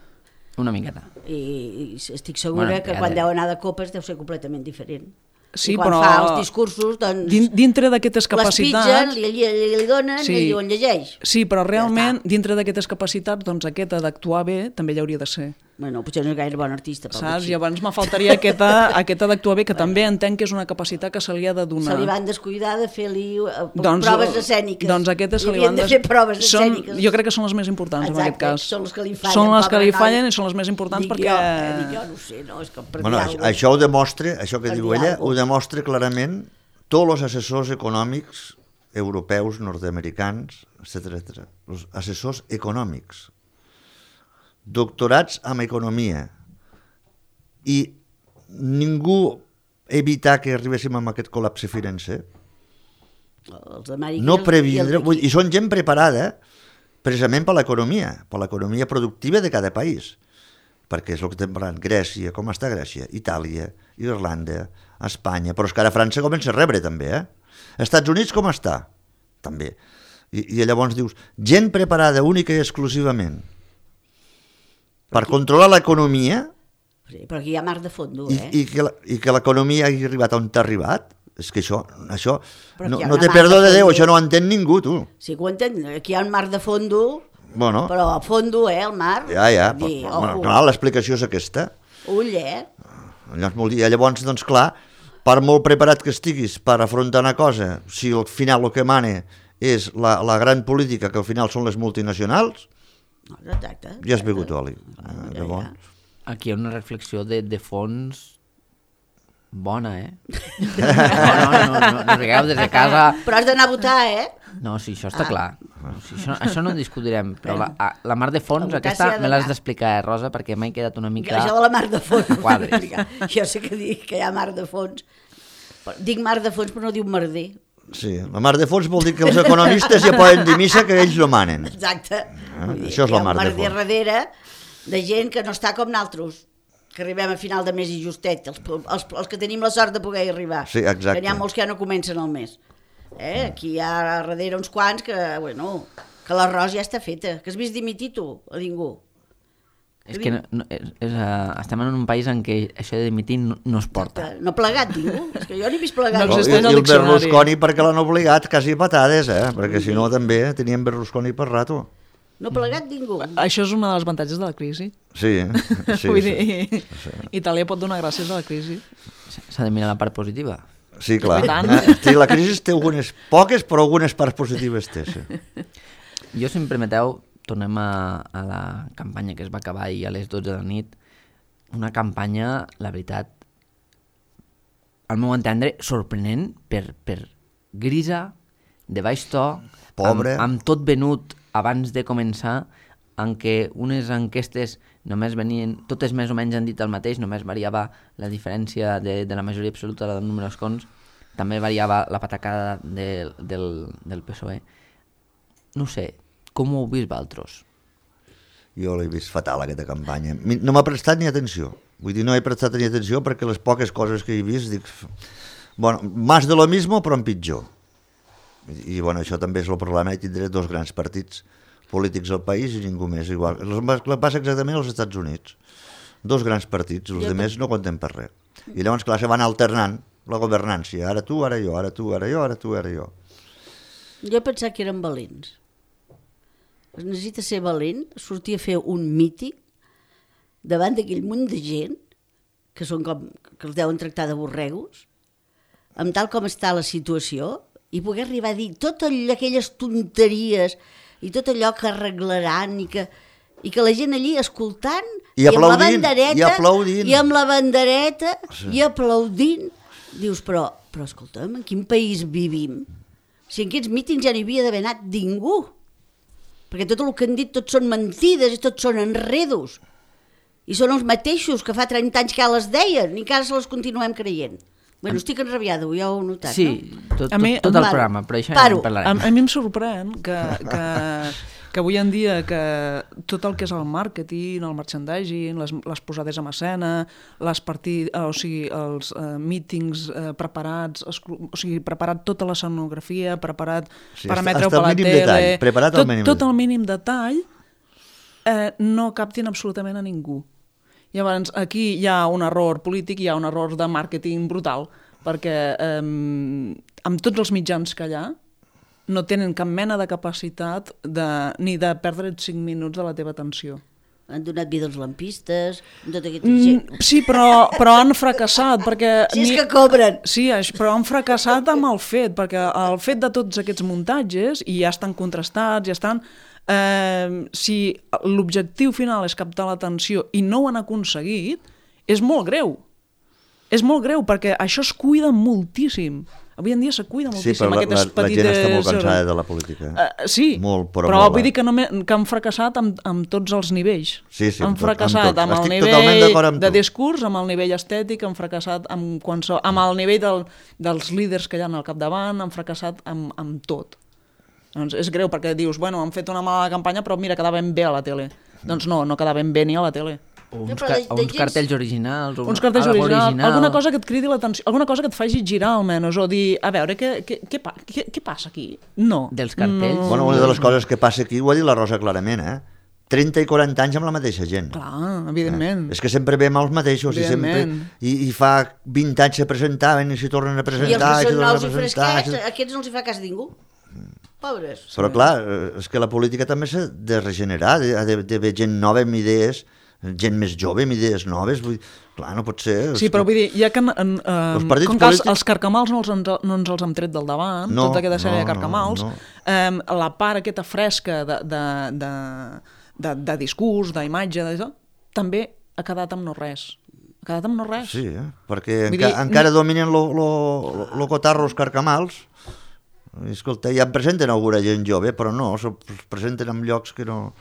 Una miqueta. I estic segura que quan deu anar de copes deu ser completament diferent. Sí, i quan fa els discursos, doncs... Dintre d'aquestes capacitats... Les pitgen, li donen, i diuen llegeix. Sí, però realment, dintre d'aquestes capacitats, doncs aquesta d'actuar bé també hi hauria de ser. Bueno, potser no és gaire bon artista. Saps? I abans me faltaria aquesta d'actuar bé, que també entenc que és una capacitat que se li ha de donar. Se li van descuidar de fer-li proves escèniques. Doncs aquestes se li van de fer proves escèniques. Jo crec que són les més importants en aquest cas. Són les que li fallen. Són les que li fallen i són les més importants perquè... Jo no sé, no? És que bueno, això ho demostra, això que diu ella, ho demostra clarament tots els assessors econòmics europeus, nord-americans, etc. Els assessors econòmics. Doctorats en economia, i ningú evitar que arribéssim a aquest col·lapse financer. No previndre, i són gent preparada precisament per l'economia productiva de cada país, perquè és el que estem parlant. Grècia, com està Grècia? Itàlia, Irlanda, Espanya, però és que ara França comença a rebre també, Estats Units com està? També. I llavors dius, gent preparada única i exclusivament per controlar l'economia, sí, però aquí hi ha mar de fondo, i que l'economia hagi arribat on t'ha arribat, és que això no té perdó de Déu, això no ho entén ningú, tu. Sí que ho entén, aquí hi ha un mar de fondo, bueno, però a fondo, el mar... Ja, clar, l'explicació és aquesta. Ull, Llavors, doncs clar, per molt preparat que estiguis per afrontar una cosa, si al final el que mana és la gran política, que al final són les multinacionals, exacte, ja has begut oli. Aquí hi ha una reflexió de fons bona, No rigueu des de casa... Però has d'anar a votar, No, sí, això està clar. Sí, això no ho discutirem, però la mar de fons, votar aquesta s'hi ha me l'has d'anar. d'explicar, Rosa, perquè m'he quedat una mica... Això de la mar de fons. Quadres. Jo sé que dic que hi ha mar de fons. Però dic mar de fons, però no diu merder. Sí, la mar de fons vol dir que els economistes ja poden dir missa que ells no manen. Exacte. Vull dir, Això és la mar de Hi ha un merder fons. darrere de gent que no està com naltros, que arribem a final de mes i justet, els que tenim la sort de poder arribar. Sí, exacte. Que n'hi ha molts que ja no comencen el mes. Aquí hi ha darrere uns quants que, bueno, que l'arròs ja està feta. Que has vist dimitir tu a ningú? És que estem en un país en què això de dimitir no es porta. No ha plegat ningú. És que jo n'he vist plegat. No I existeix al el diccionari. Berlusconi perquè l'han obligat quasi a patades, perquè si no també teníem Berlusconi per rato. No ha plegat ningú. Això és una de les avantatges de la crisi. Sí, sí. Vull sí. dir, Itàlia pot donar gràcies a la crisi. S'ha de mirar la part positiva. Sí, clar. I tant. Sí, la crisi té algunes poques, però algunes parts positives té, sí. Jo, si em permeteu, tornem a la campanya que es va acabar ahir a les 12 de la nit. Una campanya, la veritat, al meu entendre, sorprenent per grisa, de baix to, Pobre. amb tot venut abans de començar, en què unes enquestes només venien, totes més o menys han dit el mateix, només variava la diferència de la majoria absoluta del número d'escons, també variava la patacada del PSOE. No sé, com ho heu vist vosaltres? Jo l'he vist fatal, aquesta campanya. No m'ha prestat ni atenció. Vull dir, no he prestat ni atenció perquè les poques coses que he vist, dic... Bueno, más de lo mismo, però en pitjor. I bueno, això també és el problema, i tindré dos grans partits polítics al país i ningú més igual. Passa exactament als Estats Units. Dos grans partits, els altres no compten per res. I llavors, clar, se van alternant la governància. Ara tu, ara jo, ara tu, ara jo, ara tu, ara jo. Jo he pensat que eren valents. Es necessita ser valent, sortir a fer un míting davant d'aquell munt de gent que són com, que els deuen tractar de borregos, amb tal com està la situació, i poder arribar a dir totes aquelles tonteries i tot allò que arreglaran i que la gent allí escoltant I aplaudint, amb la bandereta, i aplaudint. i amb la bandereta i aplaudint, dius, però escolta'm, en quin país vivim? Si en aquests mítings ja no hi havia d'haver anat ningú, perquè tot el que han dit tots són mentides i tots són enredos, i són els mateixos que fa 30 anys que les deien i que ara se les continuem creient. Bueno, estic enrabiada, ja ho heu notat, sí, no? tot el programa, però això ja en parlarem. A mi em sorprèn que avui en dia que tot el que és el màrqueting, el merchandising, les posades en escena, els mítings preparats, o sigui, preparat tota la escenografia, preparat per emetre-ho per la tele, detall, preparat al mínim tot el mínim detall, no captin absolutament a ningú. Llavors, aquí hi ha un error polític, hi ha un error de màrqueting brutal, perquè amb tots els mitjans que hi ha, no tenen cap mena de capacitat ni de perdre 5 minuts de la teva atenció. Han donat vida als lampistes, tot aquest gent. Sí, però han fracassat, perquè... Si és que cobren! Sí, però han fracassat amb el fet, perquè el fet de tots aquests muntatges, i ja estan contrastats, ja estan... si l'objectiu final és captar l'atenció i no ho han aconseguit, és molt greu. És molt greu, perquè això es cuida moltíssim. Avui en dia se cuida moltíssim. Sí, però la gent està molt cansada de la política. Sí, molt, però vull dir que han fracassat amb tots els nivells. Sí, han fracassat amb el nivell de discurs, amb el nivell estètic, han fracassat amb el nivell dels líders que hi ha al capdavant, han fracassat amb tot. Doncs és greu perquè dius, bueno, han fet una mala campanya però mira, quedaven bé a la tele. Doncs no quedaven bé ni a la tele. O uns cartells originals. Uns cartells originals, alguna cosa que et cridi l'atenció, alguna cosa que et faci girar almenys, o dir, a veure, què passa aquí? No. Dels cartells? No. Bueno, una de les coses que passa aquí, ho ha dit la Rosa clarament, 30 i 40 anys amb la mateixa gent. Clar, evidentment. És que sempre veiem els mateixos i fa 20 anys se presentaven i s'hi tornen a presentar. I els que són nous i fresquets, aquests no els hi fa cas ningú. Pobres. Però clar, és que la política també s'ha de regenerar, ha d'haver gent nova amb idees, gent més jove amb idees noves, clar, no pot ser... Sí, però vull dir, ja que com que els carcamals no ens els hem tret del davant, tota aquesta sèrie de carcamals, la part aquesta fresca de discurs, d'imatge, també ha quedat amb no res. Ha quedat amb no res. Sí, perquè encara dominen lo cotarro els carcamals. I, escolta, ja em presenten alguna gent jove, però no, es presenten en llocs que no...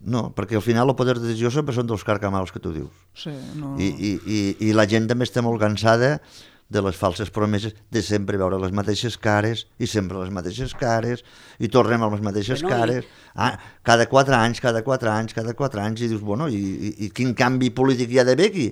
No, perquè al final el poder de decisió sempre són dels carcamals que tu dius. Sí, no... I la gent també està molt cansada de les falses promeses, de sempre veure les mateixes cares, i sempre les mateixes cares, i tornem a les mateixes cares, cada 4 anys, i dius, bueno, i quin canvi polític hi ha d'haver aquí?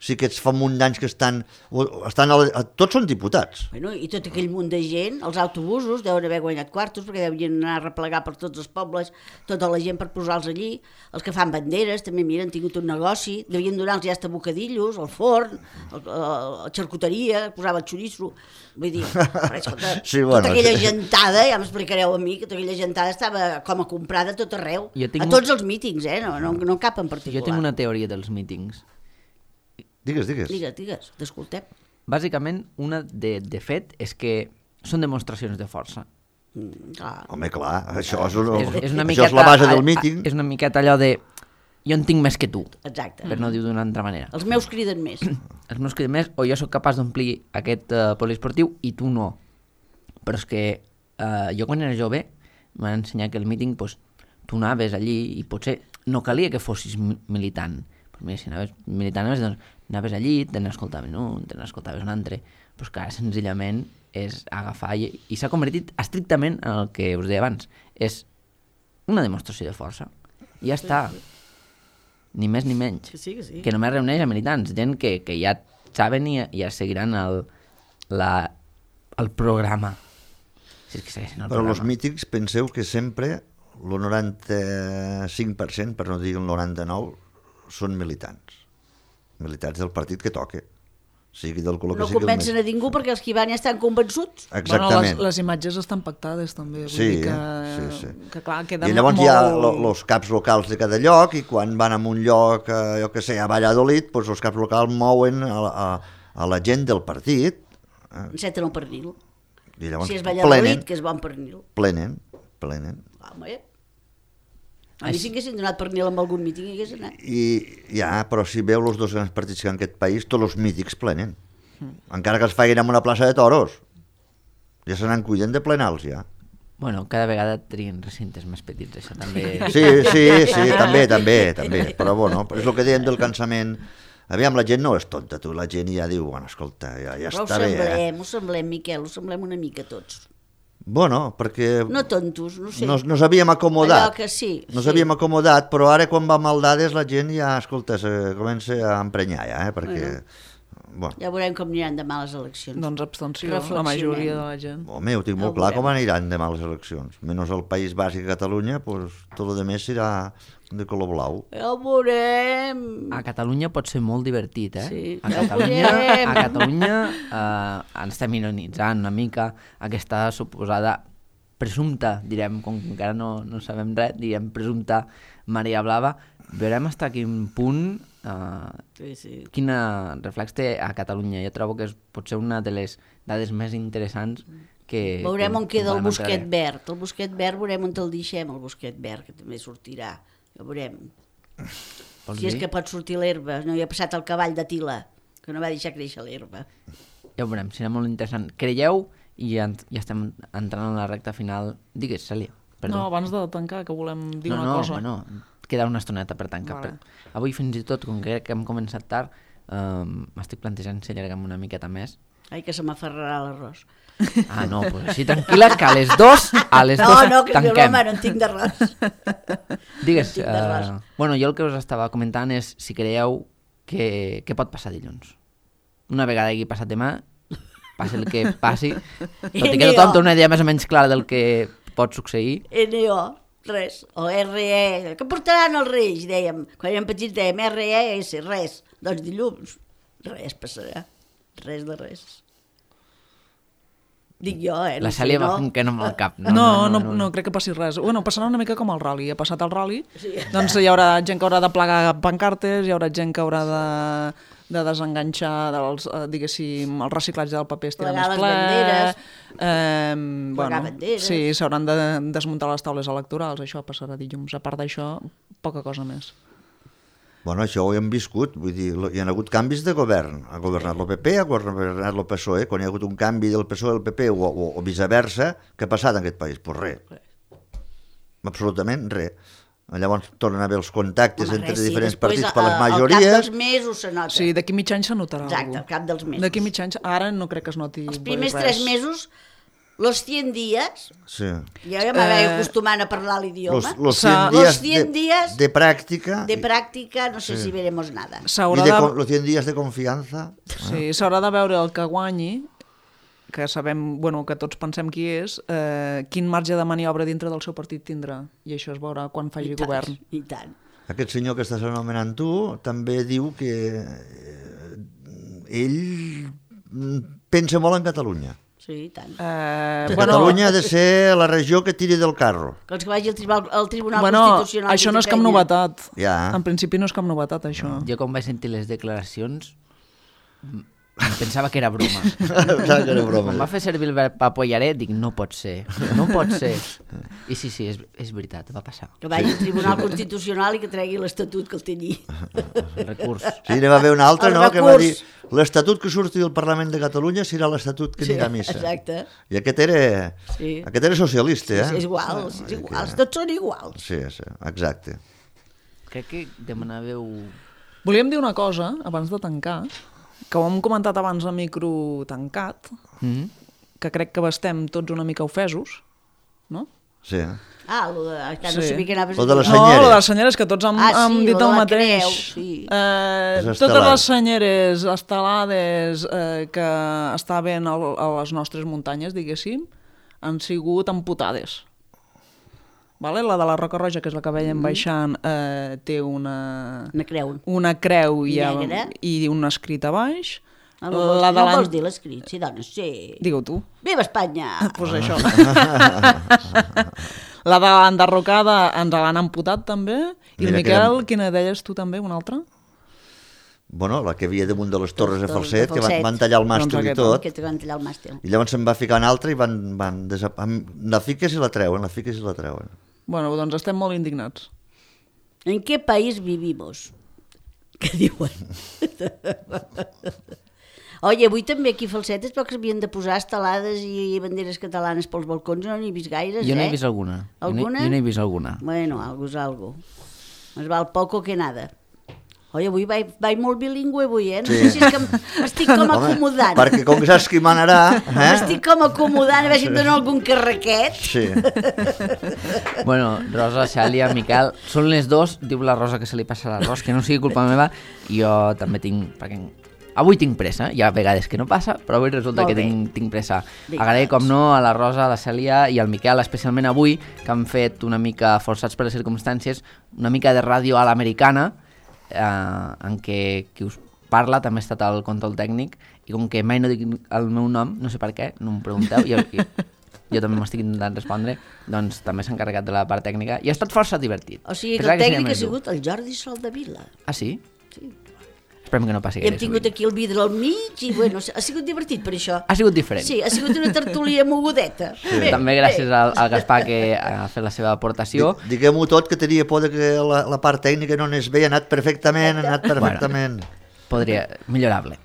Sí que fa un munt d'anys que tots són diputats. Bueno, i tot aquell munt de gent, els autobusos deuen haver guanyat quartos perquè devien anar a replegar per tots els pobles, tota la gent per posar-los allí, els que fan banderes també, mira, han tingut un negoci, devien donar-los ja hasta bocadillos, el forn, la xarcuteria, posava el xoriço, vull dir, escolta, sí, bueno, tota aquella gentada, ja m'explicareu a mi, que tota aquella gentada estava com a comprada a tot arreu, a tots els mítings, no cap en particular. Jo tinc una teoria dels mítings. Digues. Digues, t'escoltem. Bàsicament, una de fet és que són demostracions de força. Home, clar, això és una això és la base del míting. És una miqueta allò de jo en tinc més que tu. Exacte. Per no dir d'una altra manera. Els meus criden més. Els meus criden més, o jo sóc capaç d'omplir aquest poliesportiu i tu no. Però és que jo quan era jove m'han ensenyat que el míting, pues, tu anaves allí i potser no calia que fossis militant. Però mira, si anaves militant, doncs anaves allí, te n'escoltaves un, te n'escoltaves un altre, però que ara senzillament és agafar i s'ha convertit estrictament en el que us deia abans, és una demostració de força. I ja està. Ni més ni menys. Sí. Que només reuneix a militants, gent que ja saben i ja seguiran el programa. Si és que segueixen el però programa. Els mítings, penseu que sempre el 95%, per no dir el 99%, són militants del partit que toque, sigui del color que sigui. No convencen a ningú perquè els que hi van ja estan convençuts. Exactament. Bueno, les imatges estan pactades també, vull dir que clar, queda i llavors molt... hi ha els caps locals de cada lloc, i quan van a un lloc, jo que sé, a Valladolid, doncs els caps locals mouen a la gent del partit. Enceten el pernil. I llavors si és Valladolid, que és bon pernil. Plenen. Home, a mi si haguessin donat pernil amb algun míting hi hagués anat. Però si veu els dos grans partits que hi ha en aquest país, tots els mítings plenen. Encara que els facin en una plaça de toros. Ja se n'han cuidant de plenar-los, ja. Bueno, cada vegada trien recintes més petits, això també... Sí, també. Però bueno, és el que deien del cansament. Aviam, la gent no és tonta, tu. La gent ja diu, bueno, escolta, ja està bé. Ho semblem, Miquel, ho semblem una mica tots. Bueno, perquè... No tontos, no sé. Nos havíem acomodat. Allò que sí. Nos havíem acomodat, però ara quan va amb dades la gent ja, escolta, comença a emprenyar ja, perquè... Bueno. Ja veurem com aniran demà les eleccions. Doncs abstenció, la majoria de la gent. Home, ho tinc molt clar com aniran demà les eleccions. Menys el País Bàsic a Catalunya, pues, tot el més serà de color blau. Ja ho veurem. A Catalunya pot ser molt divertit, eh? Sí, a Catalunya estem ironitzant una mica aquesta suposada presumpta, direm, com que encara no sabem res, direm presumpta Maria Blava. Veurem fins a quin punt quin reflex té a Catalunya. Jo trobo que pot ser una de les dades més interessants que... Veurem on queda el bosquet verd. El bosquet verd veurem on te'l deixem, el bosquet verd, que també sortirà. Ja veurem. Si és que pot sortir l'herba. No hi ha passat el cavall de Tila, que no va deixar créixer l'herba. Ja ho veurem, serà molt interessant. Creieu, i ja estem entrant en la recta final... Digues, Cèlia. Perdó. No, abans de tancar, que volem dir una cosa. No, queda una estoneta per tancar. Vale. Avui fins i tot, com que hem començat tard, m'estic plantejant si allarguem una miqueta més. Ai, que se m'aferrarà l'arròs. No, pues així tranquil·la, que a les 2 que tanquem. No en tinc d'arròs. Digues, bueno, jo el que us estava comentant és si creieu que pot passar dilluns. Una vegada hagi passat demà, passi el que passi, tot i que tothom té una idea més o menys clara del que pot succeir. NO. Res, o RE, que portaran els Reis, dèiem, quan érem petits dèiem RES, res, doncs dilluns, res passarà, res de res. Dic jo, La Cèlia va fent que no amb el cap. No, crec que passi res. Bueno, passarà una mica com el rally, ha passat el rally, doncs hi haurà gent que haurà de plegar pancartes, hi haurà gent que haurà de desenganxar diguéssim, el reciclatge del paper estirà més ple. Banderes. Sí, s'hauran de desmuntar les taules electorals, això passarà dilluns. A part d'això, poca cosa més. Bueno, això ho hem viscut, vull dir, hi ha hagut canvis de govern. Ha governat el PP, ha governat el PSOE. Quan hi ha hagut un canvi del PSOE al PP o viceversa, què ha passat en aquest país? Pues res. Absolutament res. Llavors tornen a haver els contactes entre diferents partits per les majories. Al cap dels mesos se nota. Sí, d'aquí mig any se notarà Exacte, alguna al cap dels mesos. D'aquí mig any, ara no crec que es noti Els primers res. 3 mesos, los 100 días, Sí. ja m'havia acostumant a parlar l'idioma. Los Los 100 100 días de práctica. De práctica, no sé si veremos nada. S'haurà Los 100 días de confianza. Sí, s'haurà de veure el que guanyi, que sabem, bueno, que tots pensem qui és, quin marge de maniobra dintre del seu partit tindrà. I això es veurà quan faci govern. I tant. Aquest senyor que estàs anomenant tu també diu que ell pensa molt en Catalunya. Sí, i tant. Que Catalunya ha de ser la regió que tiri del carro. Que els que vagi al Tribunal Bueno, Constitucional... això no és cap novetat. Ja. En principi no és cap novetat, això. Jo quan vaig sentir les declaracions em pensava que era broma. Saps que era broma. Quan va fer servir el verb apoyaré, dic, no pot ser, no pot ser. I sí, és veritat, va passar. Que vagi al Tribunal Constitucional i que tregui l'Estatut que el té allí. El recurs. Sí, n'hi va haver un altre, El no?, que va dir recurs. l'Estatut que surti del Parlament de Catalunya serà l'Estatut que anirà a missa. Exacte. I aquest era socialista, eh? És igual, tots són iguals. Sí, exacte. Crec que demanàveu... Volíem dir una cosa, abans de tancar, que ho hem comentat abans a micro tancat, que crec que estem tots una mica ofesos, no? Sí. Que no Sí. sabia que anaves Lo de a les dir. No, senyeres. lo de les senyeres, que tots hem sí, dit lo de el la mateix. creu, sí. Les Totes estelades. les senyeres estelades que estaven a les nostres muntanyes, diguéssim, han sigut amputades. Vale? La de la Roca Roja, que és la que veiem baixant, té una creu Negra. i un escrit a baix. No vols dir l'escrit, sí, dona, sí. Digue-ho tu. Viva Espanya! Pues això. La de l'enderrocada ens l'han amputat també. I el Mira que Miquel, érem- quina deies tu també, una altra? Bueno, la que havia damunt de les torres de Torres Falset, de que Falset. van tallar el màstil Doncs i aquesta. tot, Aquest que van tallar el màstil. i llavors se'n va ficar una altra i la fiques i la treuen, Bueno, doncs estem molt indignats. ¿En qué país vivimos? Què diuen? Oye, avui també aquí a Falset es veu que s'havien de posar estelades i banderes catalanes pels balcons, no n'he vist gaires, Jo n'he vist alguna. Alguna? Jo n'he vist alguna. Bueno, algo és algo. Més val poco que nada. Oye, avui vaig molt bilingüe avui, No sé si és que m'estic com acomodant. Perquè com que saps qui manarà... M'estic com acomodant, a veure si em dono algun carraquet. Sí. Bueno, Rosa, Xàlia, Miquel, són les dos, diu la Rosa que se li passa l'arròs, que no sigui culpa meva, i jo també tinc... Perquè avui tinc pressa, hi ha vegades que no passa, però avui resulta Molt que bé. tinc pressa. Vinga, Agrair, com doncs. no, a la Rosa, a la Cèlia i al Miquel, especialment avui, que han fet una mica, forçats per les circumstàncies, una mica de ràdio a l'americana, en què qui us parla també ha estat al control tècnic, i com que mai no dic el meu nom, no sé per què, no em pregunteu, jo també m'estic intentant respondre, doncs també s'ha encarregat de la part tècnica, i ha estat força divertit. O sigui que Pensava el seria tècnic ha més dur. sigut el Jordi Soldevila. Ah, sí? Sí. Esperem que no passi I hem gaire tingut sovint. aquí el vidre al mig i, bueno, ha sigut divertit per això. Ha sigut diferent. Sí, ha sigut una tertúlia mogudeta. Sí. També gràcies al Gaspar, que ha fet la seva aportació. Diguem-ho tot, que tenia por de que la part tècnica no anés bé, ha anat perfectament, Podria, millorable.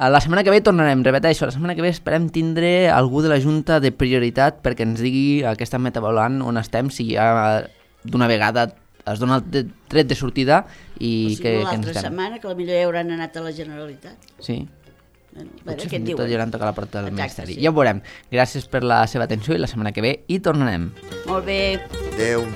La setmana que ve tornarem, repeteixo, la setmana que ve esperem tindre algú de la Junta de Prioritat perquè ens digui aquesta metavaluant on estem, si ja d'una vegada es dona el tret de sortida i O sigui, que ens l'altra estem. setmana, que potser ja hauran anat a la Generalitat. Sí. Bueno, Potser què et fins i tot diuen? hi haurà tocat la porta del Exacte, Ministeri. sí. Ja ho veurem. Gràcies per la seva atenció i la setmana que ve hi tornarem. Molt bé. Adéu.